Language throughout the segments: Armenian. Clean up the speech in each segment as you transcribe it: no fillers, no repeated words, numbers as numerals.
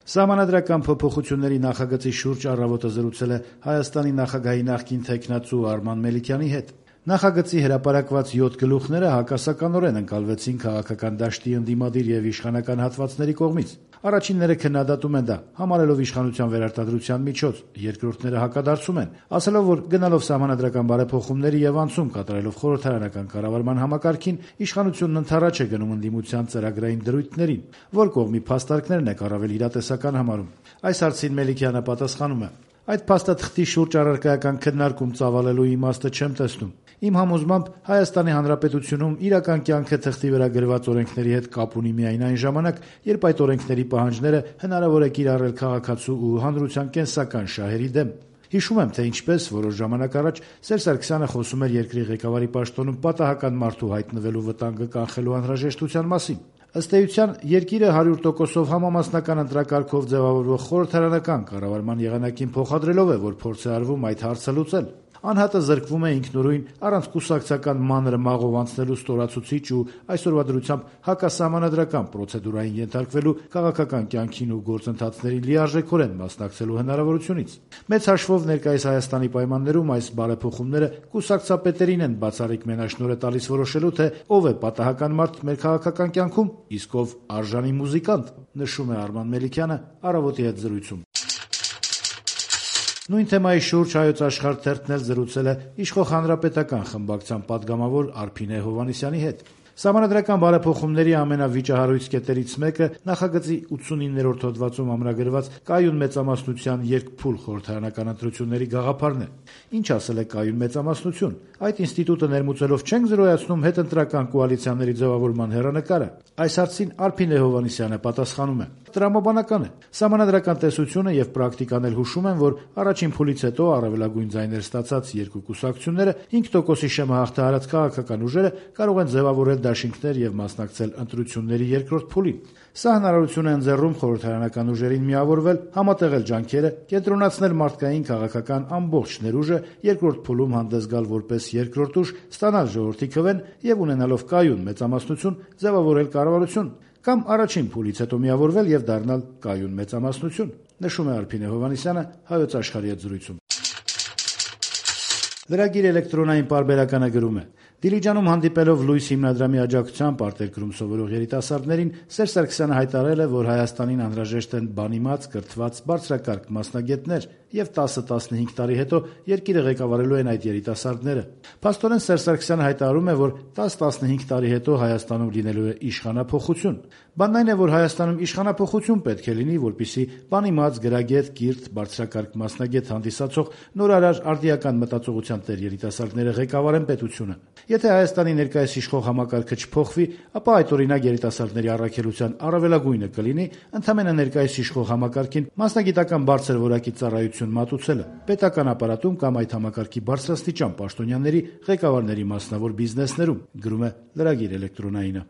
Սահմանադրական փոփոխությունների նախագծի շուրջ «Առավոտը» զրուցել է Հայաստանի նախագահի նախկին թեկնածու Արման Մելիքյանի հետ։ Նախագծի հրապարակված 7 գլուխները հակասականորեն ընկալվեցին քաղաքական դաշտի ընդդիմադիր եւ իշխանական հատվածների կողմից։ Առաջինները քննադատում են դա, համարելով իշխանության վերարտադրության միջոց, երկրորդները հակադարձում են, ասելով, որ գնալով սահմանադրական բարեփոխումների եւ անցում կատարելով խորհրդարանական կառավարման համակարգին, իշխանությունն ընդառաջ է գնում ընդդիմության ծրագրային դրույթներին, որ կողմի փաստարկներն է առավել իրատեսական համարում։ Այս հարցին Մելիքյանը պատասխանում է. Այդ փաստաթղթի շուրջ առարկայական քննարկում ծավալելու իմաստը չեմ տեսնում։ Իմ համոզմամբ Հայաստանի Հանրապետությունում իրական կյանքը թղթի վրա գրված օրենքների հետ կապ ունի միայն այն ժամանակ, երբ այդ օրենքների պահանջները հնարավոր է կիրառել քաղաքացու ու հանրության կենսական շահերի դեմ։ Հիշում եմ, թե ինչպես որոշ ժամանակ առաջ Սերժ Սարգսյանը խոսում էր երկրի ղեկավարի պաշտոնում պատահական մարդու հայտնվելու վտանգը կանխելու անհրաժեշտության մասին։ Ըստ էության, երկիրը 100%-ով համամասնական ընտրակարգով ձևավորվող խորհրդարանական կառավարման եղանակին փոխադրելով է, որ փորձ է արվում այդ հարցը լուծել։ Անհատը զրկվում է ինքնուրույն առանց կուսակցական մանր մաղով անցնելու ստորացուցիչ ու այսօրվա դրությամբ հակասահմանադրական պրոցեդուրային ենթարկվելու քաղաքական կյանքին ու գործընթացներին լիարժեքորեն մասնակցելու հնարավորությունից։ Մեծ հաշվով ներկայիս Հայաստանի պայմաններում այս բարեփոխումները կուսակցապետերին են բացառիկ մենաշնորհ տալիս որոշելու, թե ով է պատահական մարդ մեր քաղաքական կյանքում, իսկ ով արժանի մուզիկանտ, նշում է Արման Մելիքյանը «Առավոտի» հետ զրույցում։ Նույն թեմայի շուրջ Հայոց Աշխարհ թերթն էլ զրուցել է իշխող հանրապետական խմբակցության падգամավոր Արփինե Հովհաննիսյանի հետ։ Սահմանադրական բարեփոխումների ամենավիճահարույց կետերից մեկը նախագծի 89-րդ հոդվածում ամրագրված կայուն մեծամասնության երկփուլ խորհրդարանական ընտրությունների գաղափարն է։ Ինչ ասել է կայուն մեծամասնություն։ Այդ ինստիտուտը ներմուծելով չենք զրոյացնում հետընտրական կոալիցիաների ձևավորման հեռանկարը։ Այս հարցին Արփինե Հովհաննիսյանը պատասխանում է. Տրամաբանական է։ Սահմանադրական տեսությունը եւ պրակտիկան էլ հուշում են, որ առաջին փուլից հետո առավելագույն ձայներ ստացած երկու կուսակցությունները 5%-ի շեմը հաղթահարած քաղաքական ուժերը կարող են ձևավորել դաշինքներ եւ մասնակցել ընտրությունների երկրորդ փուլին։ Սա հնարավորություն է ընձեռում խորհրդարանական ուժերին միավորվել, համատեղել ջանքերը, կենտրոնացնել մարդկային քաղաքական ամբողջ ներուժը, երկրորդ փուլում հանդես գալ որպես երկրորդ ուժ, ստանալ ժողովրդի քվեն եւ ունենալով կայուն մեծամասնություն ձևավորել կառավարություն, կամ առաջին փուլից հետո միավորվել եւ դառնալ կայուն մեծամասնություն, նշում է Արփինե Հովհաննիսյանը Հայոց Աշխարհի հետ զրույցում։ Լրագիր էլեկտրոնային պարբերականը գրում է. Դիլիջանում հանդիպելով Լույս հիմնադրամի աջակցությամբ արտերկրում սովորող երիտասարդներին Սերժ Սարգսյանը հայտարարել է, որ Հայաստանին անհրաժեշտ են բանիմաց, կրթված, բարձրակարգ մասնագետներ եւ 10-15 տարի հետո երկիրը ղեկավարելու են այդ երիտասարդները։ Փաստորեն Սերժ Սարգսյանը հայտարարում է, որ 10-15 տարի հետո Հայաստանում լինելու է իշխանափոխություն։ Բանն այն է, որ Հայաստանում իշխանափոխություն պետք է լինի, որպեսզի բանիմաց, գրագետ, կիրթ, բարձրակարգ մասնագետ հանդիսացող նորարար արդիական մտածողության տեր երիտասարդները ղեկավարեն պետությունը։ Եթե Հայաստանի ներկայիս իշխող համակարգը չփոխվի, ապա այդ օրինակ երիտասարդների առաքելության առավելագույնը կլինի ընդամենը ներկայիս իշխող համակարգին մասնագիտական բարձր որակի ծառայություն մատուցելը պետական ապարատում կամ այդ համակարգի բարձրաստիճան պաշտոնյաների ղեկավարների մասնավոր բիզնեսներում, գրում է Լրագիր էլեկտրոնայինը։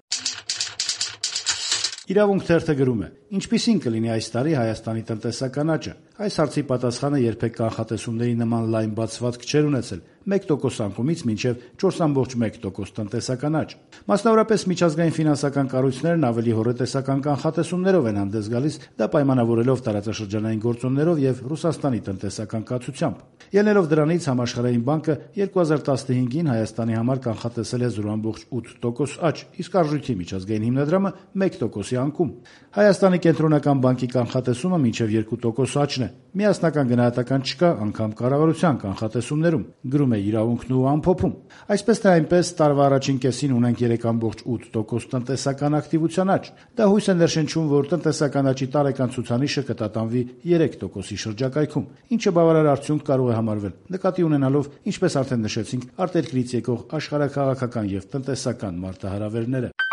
Իրավունք թերթը գրում է. Ինչպիսին կլինի այս տարի Հայաստանի տնտեսական աճը։ Այս հարցի պատասխանը երբեք կանխատեսումների նման լայն բացվածք չէր ունեցել 1% անկումից մինչև 4.1% տնտեսական աճ։ Մասնավորապես միջազգային ֆինանսական կառույցներն ավելի հոռետեսական կանխատեսումներով են հանդես գալիս, դա պայմանավորելով տարածաշրջանային գործոններով եւ Ռուսաստանի տնտեսական կացությամբ։ Ելնելով դրանից Համաշխարհային բանկը 2015-ին Հայաստանի համար կանխատեսել է 0.8% աճ, իսկ արժույթի միջազգային հիմնադրամը 1%-ի անկում։ Հայաստանի կենտրոնական բանկի կանխատեսումը մինչև 2% աճն է։ Միասնական գնահատական չկա անգամ կառավարության կանխատեսումներում, գրում է Իրավունքն ու ամփոփում։ Այսպես թե այնպես տարվա առաջին կեսին ունենք 3.8% տնտեսական ակտիվության աճ։ Դա հույս է ներշնչում, որ տնտեսական աճի տարեկան ցուցանիշը կտատանվի 3%-ի շրջակայքում, ինչը բավարար արդյունք կարող է համարվել, նկատի ունենալով, ինչպես արդեն նշեցինք, արտերկրից եկող աշխարհաքաղաքական եւ տնտեսական մարտահրավերները։